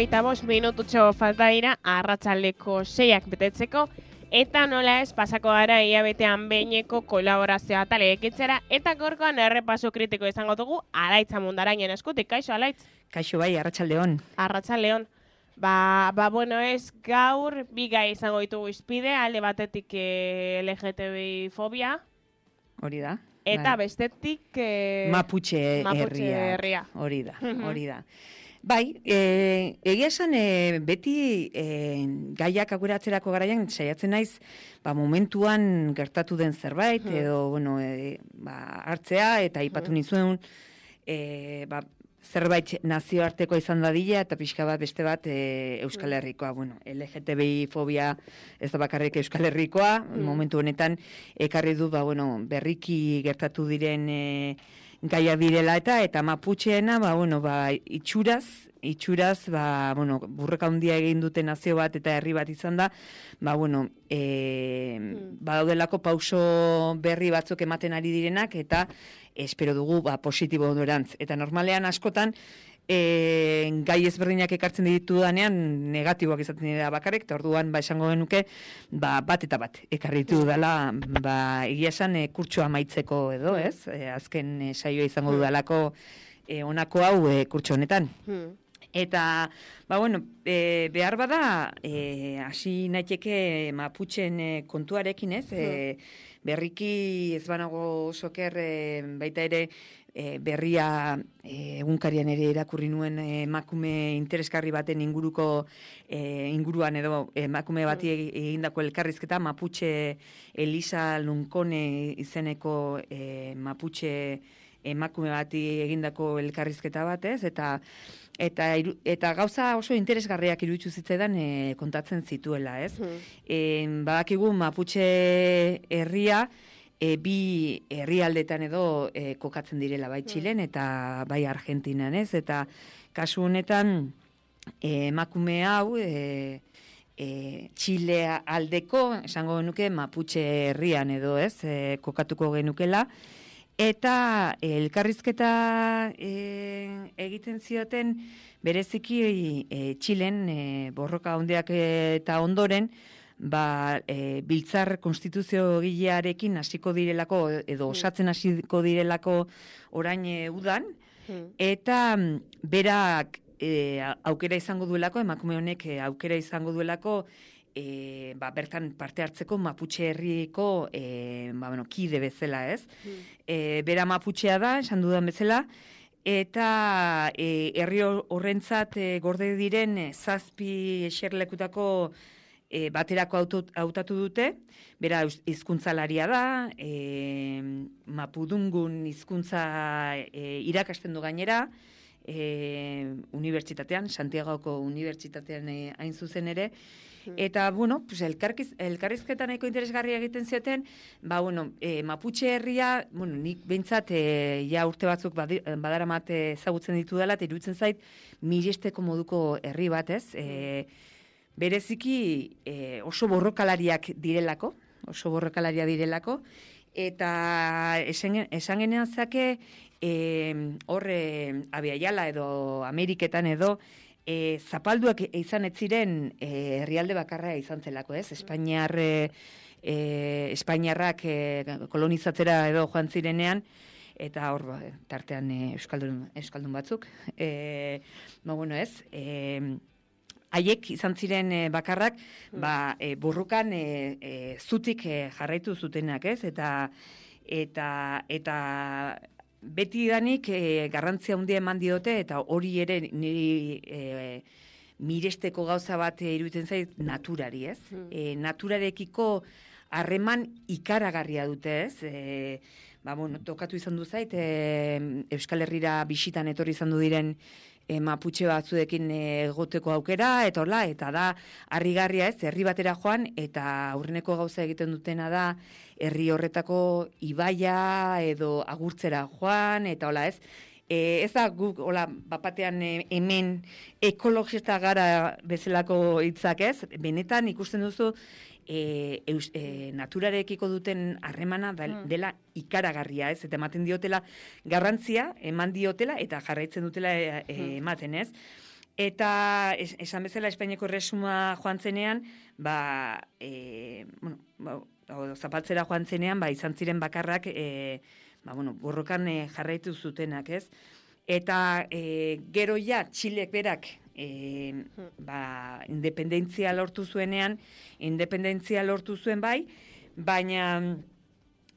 35 falta dira arratsaldeko 6 betetzeko, eta nola ez pasako gara hilabetean behineko kolaborazioa taleekitzera, eta gorkoan errepaso kritiko izango dugu Alaitz Amundarainen eskutik. Kaixo, Alaitz? Kaixo bai, arratsaldeon. Arratsaldeon. Bueno, ez gaur bi gai izango ditugu izpide, alde batetik LGTBI fobia. Hori da. Eta bestetik... Mapuche herria. Hori da. Bai, egia esan beti gaiak aukeratzerako garaian saiatzen naiz momentuan gertatu den zerbait edo hartzea eta aipatu nizuen zerbait nazioarteko izan dadila eta pixka bat beste bat Euskal Herrikoa. LGTBI fobia ez da bakarrik Euskal Herrikoa, momentu honetan ekarri du berriki gertatu diren gaiak direla eta Mapucheena itxuraz burreka handia egin dute nazio bat eta herri bat izan da, badaudelako pauso berri batzuk ematen ari direnak eta espero dugu positibo norantz. Eta normalean askotan gai ezberdinak ekartzen ditudanean negatiboak izaten dira bakarrik, eta orduan esango genuke bat eta bat ekarritu dela egia esan kurtsoa amaitzeko edo, ez? Azken saioa izango dudalako honako hau kurtso honetan. Eta, behar bada, hasi naiteke Mapuchen kontuarekin, ez? Berriki ez banago soker baita ere berria egunkarian ere irakurri nuen emakume interesgarri baten inguruan edo emakume bati egindako elkarrizketa, Mapuche Elisa Lunkone izeneko Mapuche emakume bati egindako elkarrizketa bat, ez? Eta gauza oso interesgarriak iruditu zitzaidan kontatzen zituela, ez? Badakigu Mapuche herria bi herrialdetan edo kokatzen direla, bai Txilen eta bai Argentinan, ez? Eta kasu honetan emakume hau Txile aldeko, esango genuke Mapuche herrian edo, ez? Kokatuko genukela. Eta elkarrizketa egiten zioten bereziki Txilen borroka handiak eta ondoren biltzar konstituzio gilearekin hasiko direlako edo osatzen hasiko direlako orain udan eta berak aukera izango duelako, emakume honek aukera izango duelako bertan parte hartzeko Mapuche herriko kide bezala, ez? Bera Mapuchea da, esan dudan bezala, eta herri horrentzat gorde diren 7 eserlekutako baterako hautatu dute, bera hizkuntzalaria da, Mapudungun hizkuntza irakasten du gainera, unibertsitatean, Santiagoko unibertsitatean hain zuzen ere, eta, elkarrizketan nahiko interesgarria egiten zioten, Mapuche herria, nik behintzat, urte batzuk badaramat ezagutzen ditu dela, eta iruditzen zait, miresteko moduko herri bat, ez? Bereziki oso borrokalariak direlako, eta esan genean zake, horre Abiaiala edo Ameriketan edo, zapalduak izan ez ziren herrialde bakarra izan zelako, ez? Espainiarrak kolonizatzera edo joan zirenean, eta hor tartean euskaldun batzuk. Haiek izan ziren bakarrak, burrukan zutik jarraitu zutenak, ez? Eta beti danik garrantzia handia eman diote, eta hori ere niri miresteko gauza bat iruditzen zait naturari, ez? Naturarekiko harreman ikaragarria dute, ez? Tokatu izan du zait, Euskal Herrira bisitan etorri izan du diren Mapuche batzuekin egoteko aukera, eta da harrigarria, ez? Herri batera joan, eta aurreneko gauza egiten dutena da herri horretako ibaia edo agurtzera joan, eta ez? Ez da guk, bapatean hemen ekologista gara bezalako hitzak, ez? Benetan ikusten duzu naturarekiko duten harremana dela ikaragarria, ez? Eta ematen diotela garrantzia, eman diotela, eta jarraitzen dutela ematen, ez? Eta esan bezala Espainiako erresuma joan zenean, zapaltzera joan zenean, izan ziren bakarrak, borrokan jarraitu zutenak, ez? Eta gero ja, Txilek berak, independentzia lortu zuenean, independentzia lortu zuen bai, baina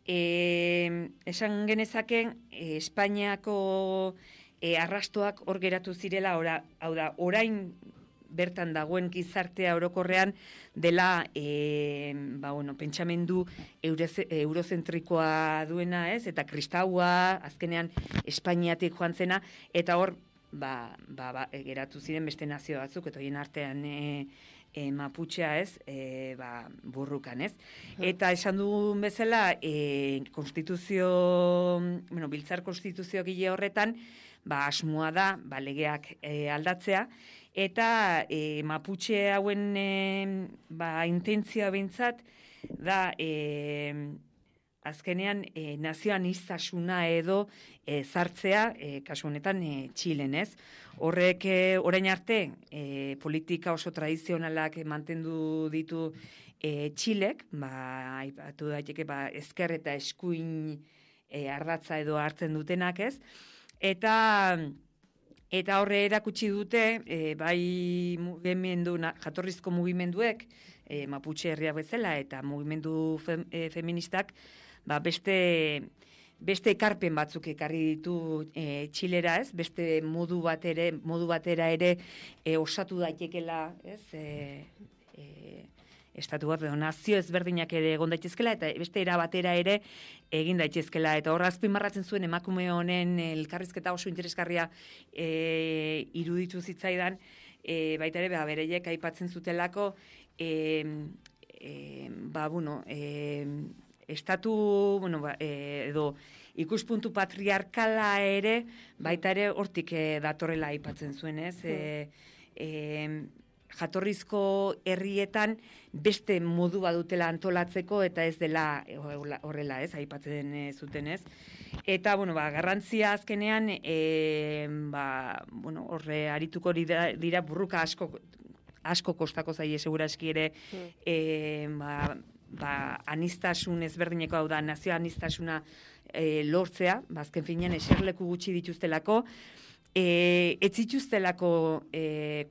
esan genezaken Espainiako arrastoak hor geratu zirela, hau da, orain bertan dagoen gizartea orokorrean dela pentsamendu eurozentrikoa duena, ez? Eta kristaua, azkenean Espainiatik joan zena, eta hor geratu ziren beste nazio batzuk, eta horien artean Maputxea, ez? Burrukan, ez? Eta esan dugun bezala, biltzar konstituzio gile horretan, asmoa da, legeak aldatzea, eta Maputxe hauen intentzioa bintzat da azkenean nazioaniztasuna edo zartzea, kasu honetan Txilen, ez? Horrek orain arte politika oso tradizionalak mantendu ditu Txilek, aipatu daiteke ezker eta eskuin ardatza edo hartzen dutenak, ez? Eta horre erakutsi dute, jatorrizko mugimenduek, Maputxe herria bezala, eta mugimendu feministak, beste ekarpen batzuk ekarri ditu Txilera, ez? Beste modu batera ere osatu daitekela, ez? Estatu bat, nazio ezberdinak ere egon daitezkela, eta beste era batera ere egin daitezkela. Eta hor azpimarratzen zuen emakume honen elkarrizketa oso interesgarria iruditu zitzaidan, baita ere bereiek aipatzen zutelako, estatu, edo ikuspuntu patriarkala ere, baita ere hortik datorrela aipatzen zuen, ez? Jatorrizko herrietan beste modu badutela antolatzeko, eta ez dela horrela, ez, aipatzen zuten, ez. Eta, garrantzia azkenean, horre arituko dira burruka asko kostako zaie seguraski ere, anistasun ezberdineko, hau da, nazio anistasuna lortzea, azken finean eserleku gutxi dituztelako, ez zituztelako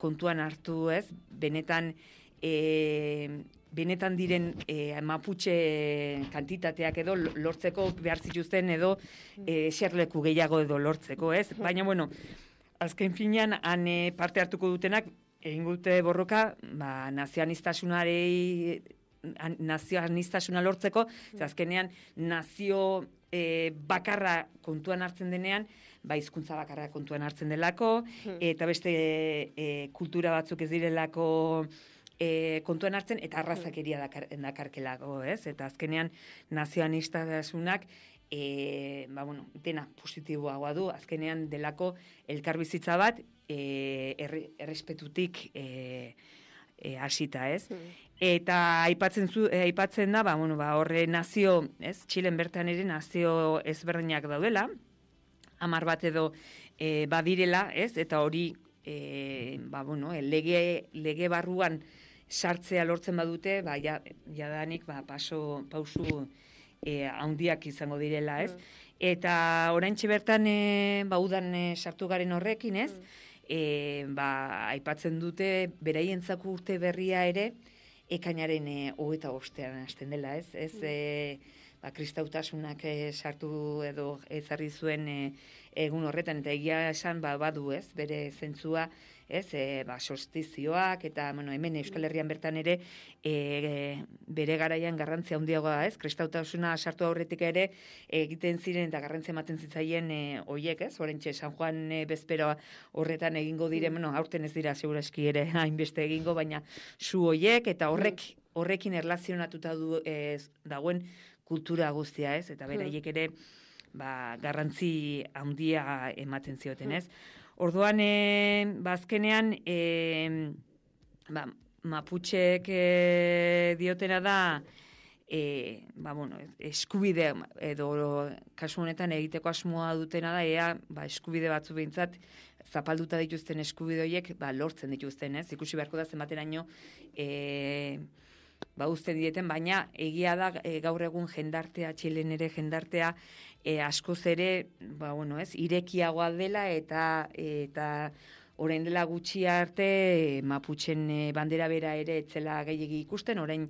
kontuan hartu, ez, benetan diren Maputxe kantitateak edo lortzeko behar zituzten edo eserleku gehiago edo lortzeko, ez? Baina, azken finean, han parte hartuko dutenak, egin dute borroka, nazioanistasuna lortzeko, azkenean nazio bakarra kontuan hartzen denean, hizkuntza bakarra kontuan hartzen delako, eta beste kultura batzuk ez direlako kontuan hartzen, eta arrazakeria dakarkelako, ez? Eta azkenean nazioanistasunak dena positiboagoa du, azkenean delako elkarbizitza bat errespetutik hasita, ez? Eta aipatzen da, horre nazio, ez? Txilen bertan ere nazio ezberdinak daudela, 10 bat edo badirela, ez? Eta hori, lege barruan sartzea lortzen badute, jadanik pausu handiak izango direla, ez? Eta oraintxe bertan, udan sartu garen horrekin, ez? Aipatzen dute beraientzako urte berria ere, ekainaren 25 hasten dela, ez? Kristautasunak sartu edo ezarri zuen egun horretan, eta egia esan badu, ez? Bere zentzua, ez? Solstizioak, eta hemen Euskal Herrian bertan ere bere garaian garrantzia handiagoa, ez? Kristautasuna sartu aurretik ere egiten ziren eta garrantzia ematen zitzaien hoiek, ez? Oraintxe San Juan bezperoa horretan egingo diren, aurten ez dira segurazki ere hainbeste egingo, baina zu hoiek eta horrekin erlazionatuta dagoen kultura guztia, ez? Eta beraiek ere garrantzi handia ematen zioten, ez? Orduan, azkenean, Maputxek diotena da, eskubide, edo kasu honetan egiteko asmoa dutena da, eskubide batzu behintzat zapalduta dituzten eskubide horiek lortzen dituzten, ez? Ikusi beharko da zenbateraino uzten dieten, baina egia da gaur egun jendartea, Txilen ere jendartea askoz ere, irekiagoa dela eta orain dela gutxi arte Maputxen bandera bera ere etzela gehiegi ikusten, orain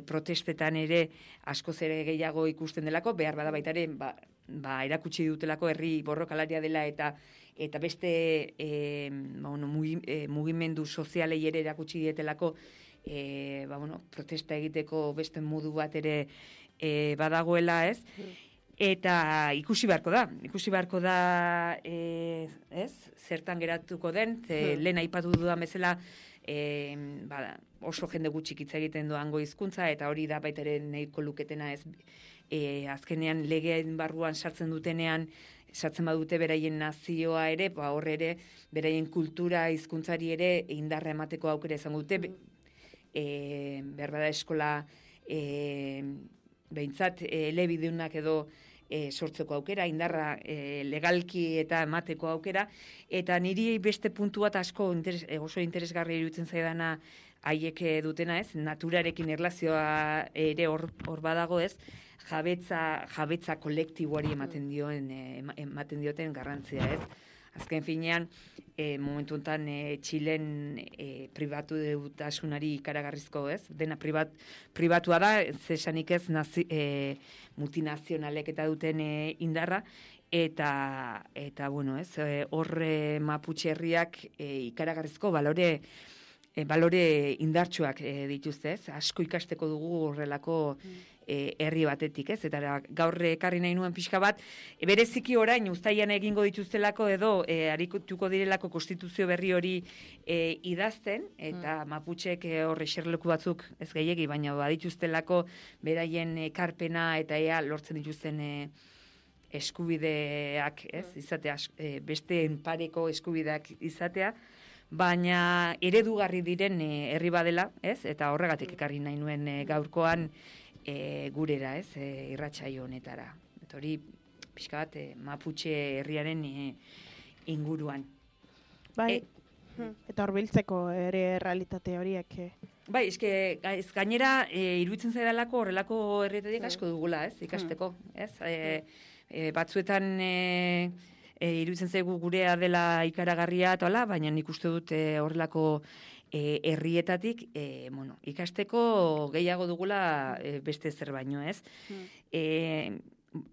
protestetan ere askoz ere gehiago ikusten delako, behar bada baita ere erakutsi dutelako herri borrokalaria dela eta beste mugimendu sozialei ere erakutsi dietelako protesta egiteko beste modu bat ere badagoela, ez? Eta ikusi beharko da, ez? Zertan geratuko den, lehen aipatu dudan bezala, oso jende gutxik hitz egiten doango hizkuntza eta hori da baita ere nahiko luketena, ez? Azkenean legeen barruan sartzen badute beraien nazioa ere, hor ere beraien kultura hizkuntzari ere indarra emateko aukera izango dute, behar bada eskola behintzat elebideunak edo sortzeko aukera, indarra legalki eta emateko aukera, eta niri beste puntu bat asko oso interesgarri iruditzen zaidana haiek dutena, ez? Naturarekin erlazioa ere hor badago, ez? Jabetza kolektiboari ematen dioten garrantzia, ez? Azken finean, momentu honetan Txilen pribatu dutasunari ikaragarrizko, ez? Dena pribatua da, zesanik ez multinazionalek eta duten indarra, eta horre Maputxe herriak ikaragarrizko balore indartsuak dituzte, ez? Asko ikasteko dugu horrelako herri batetik, ez? Eta gaur ekarri nahi nuen pixka bat, bereziki orain uztailean egingo dituztelako edo arituko direlako konstituzio berri hori idazten, eta Maputxek horre eserleku batzuk ez gehiegi, baina badituztelako beraien ekarpena eta ea lortzen dituzten eskubideak, ez? Izatea, beste pareko eskubideak izatea, baina eredugarri diren herri badela, ez? Eta horregatik ekarri nahi nuen gaurkoan gurera, ez? Irratsaio honetara. Eta hori pixka bat Maputxe herriaren inguruan. Bai, eta horbiltzeko ere realitate horiek. Bai, ez gainera iruditzen zaidalako horrelako herrietatik asko dugula, ez? Ikasteko, ez? Batzuetan iruditzen zaigu gurea dela ikaragarria eta hola, baina nik uste dut horrelako herrietatik ikasteko gehiago dugula beste zer baino, ez?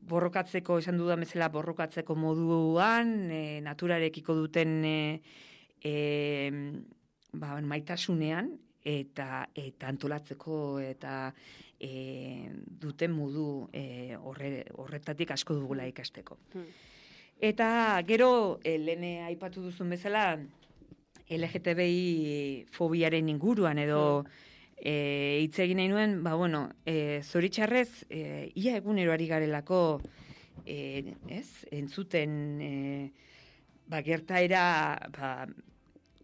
Borrokatzeko, esan dudan bezala, borrokatzeko moduan, naturarekiko duten maitasunean, eta antolatzeko eta duten modu horretatik asko dugula ikasteko. Eta gero, lehen aipatu duzun bezala, LGTBI fobiaren inguruan edo hitz egin nahi nuen, zoritxarrez, ia egunero ari garelako entzuten gertaera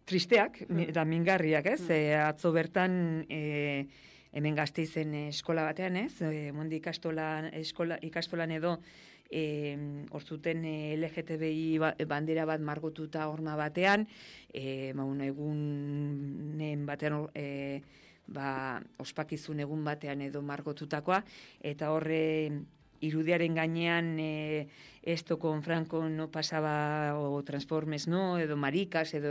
tristeak eta mingarriak, ez? Atzo bertan hemen Gasteizen eskola batean, ez? Mondi ikastolan edo hor zuten LGTBI bandera bat margotuta horma batean, egunen batean ospakizun egun batean edo margotutakoa, eta horre irudiaren gainean esto con Franco no pasaba o Transformes no, edo marikas, edo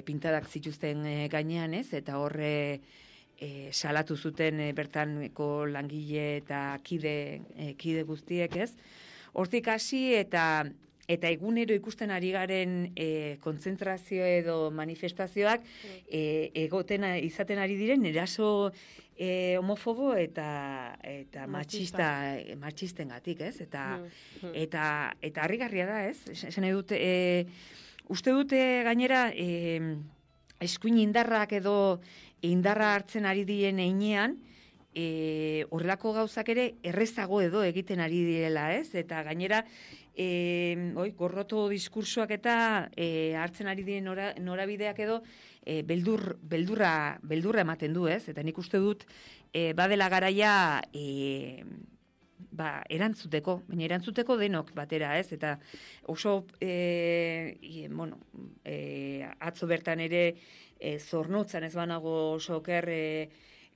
pintadak zituzten gainean, ez? Eta horre salatu zuten bertaneko langile eta kide guztiek, ez? Hortik hasi eta egunero ikusten ari garen kontzentrazio edo manifestazioak izaten ari diren eraso homofobo eta matxistengatik, ez? Eta harrigarria da, ez? Esan dut, uste dute gainera eskuin indarrak edo indarra hartzen ari diren heinean, horrelako gauzak ere errezago edo egiten ari direla, ez? Eta gainera, gorroto diskursoak eta hartzen ari diren norabideak edo beldurra ematen du, ez? Eta nik uste dut badela garaia erantzuteko, baina erantzuteko denok batera, ez? Eta oso, atzo bertan ere zornotzan ez banago oso oker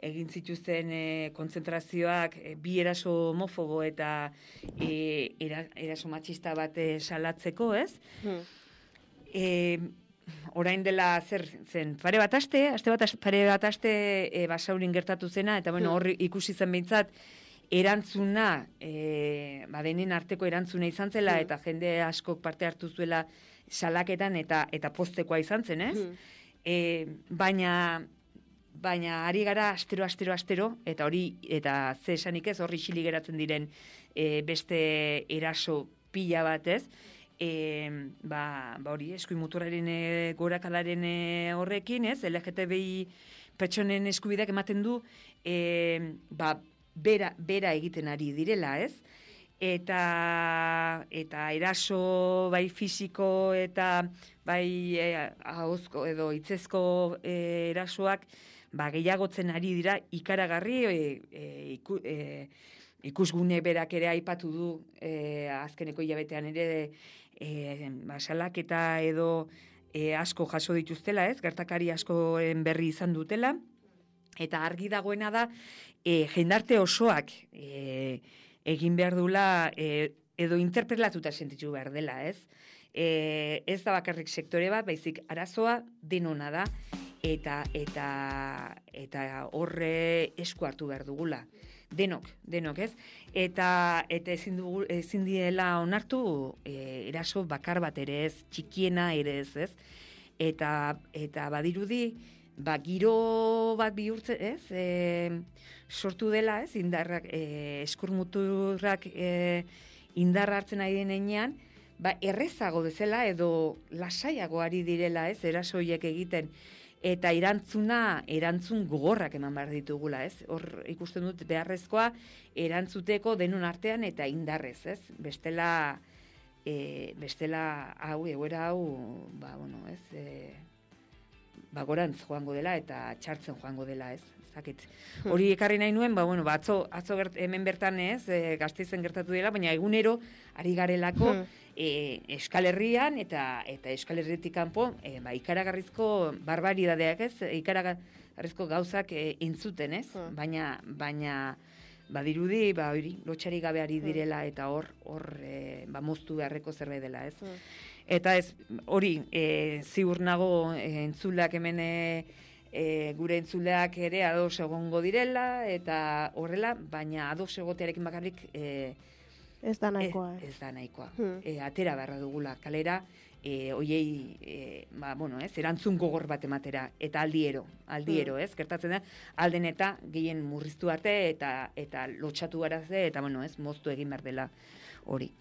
egin zituzten kontzentrazioak bi eraso homofobo eta eraso matxista bat salatzeko, ez? Orain dela zer zen, pare bat aste Basaurin gertatu zena, eta hor ikusi zen behintzat, erantzuna, denen arteko erantzuna izan zela, eta jende askok parte hartu zuela salaketan, eta poztekoa izan zen, ez? Baina ari gara astero, eta hori, eta ze esanik ez, horri xili geratzen diren beste eraso pila bat, ez? Hori, eskuin muturraren gorakalaren horrekin, ez? LGTBI pertsonen eskubideak ematen du, bera egiten ari direla, ez? Eta eraso bai fisiko eta bai ahozko edo hitzezko erasoak gehiagotzen ari dira ikaragarri, ikusgune berak ere aipatu du azkeneko hilabetean ere salaketa edo asko jaso dituztela, ez? Gertakari askoen berri izan dutela, eta argi dagoena da jendarte osoak egin behar dula edo interpelatuta sentitu behar dela, ez? Ez da bakarrik sektore bat, baizik arazoa denona da, eta horre esku hartu behar dugula. Denok, ez? Eta ezin diela onartu eraso bakar bat ere ez, txikiena ere ez? Eta badirudi, giro bat bihurtzen, ez? Sortu dela, ez? Indarrak, eskurmuturrak indarra hartzen ari denean, errezago bezala edo lasaiago ari direla, ez? Erasoiek egiten. Eta erantzun gogorrak eman behar ditugula, ez? Hor ikusten dut beharrezkoa erantzuteko denon artean eta indarrez, ez? Bestela egoera hau, gorantz joango dela eta txartzen joango dela, ez? Hori ekarri nahi nuen, atzo hemen bertan ez, Gasteizen gertatu dela, baina egunero ari garelako Euskal Herrian eta Euskal Herritik kanpo ikaragarrizko barbaridadeak, ez? Ikaragarrizko gauzak entzuten, ez? Baina badirudi, lotxari gabe ari direla eta hor moztu beharreko zerbait dela, ez? Eta ez, hori, ziur nago entzulak hemen gure entzuleak ere ados egongo direla, eta horrela, baina ados egotearekin bakarrik ez da nahikoa. Ez da nahikoa. Atera beharra dugula kalera, oiei, erantzun gogor bat ematera, eta aldiero, ez? Gertatzen da, alden eta gehien murriztu arte, eta lotxatu garaze, eta, moztu egin behar dela hori.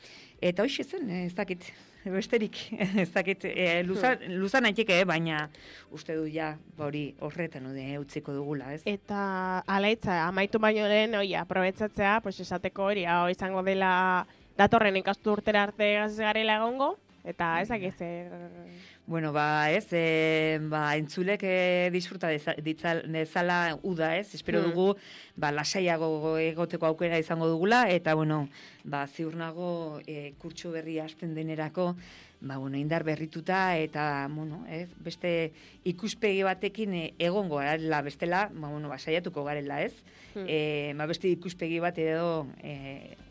Eta hoxe zen, ez dakit, besterik, ez dakit, luzan naiteke, baina uste du ja, hori horretan utziko dugula, ez? Eta alaitza, amaitu baino lehen, aprobetzatzea, esateko hori, izango dela datorren ikasturtera arte garela egongo, eta ez dakit zer... Bueno, entzulek disfruta dezala uda, ez? Espero dugu, lasaiago egoteko aukera izango dugula, eta, ziur nago kurtso berri hasten denerako, indar berrituta, eta, beste ikuspegi batekin egongo garela, bestela, saiatuko garela, ez? Beste ikuspegi bat edo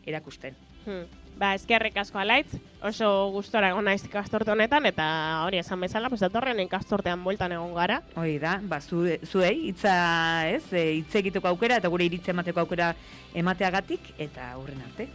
erakusten. Eskerrik asko Alaitz, oso gustora egon naiz ikasturte honetan, eta hori esan bezala, datorren ikasturtean bueltan egon gara. Hori da, zuei, hitz egiteko aukera, eta gure iritzia emateko aukera emateagatik, eta hurren arte.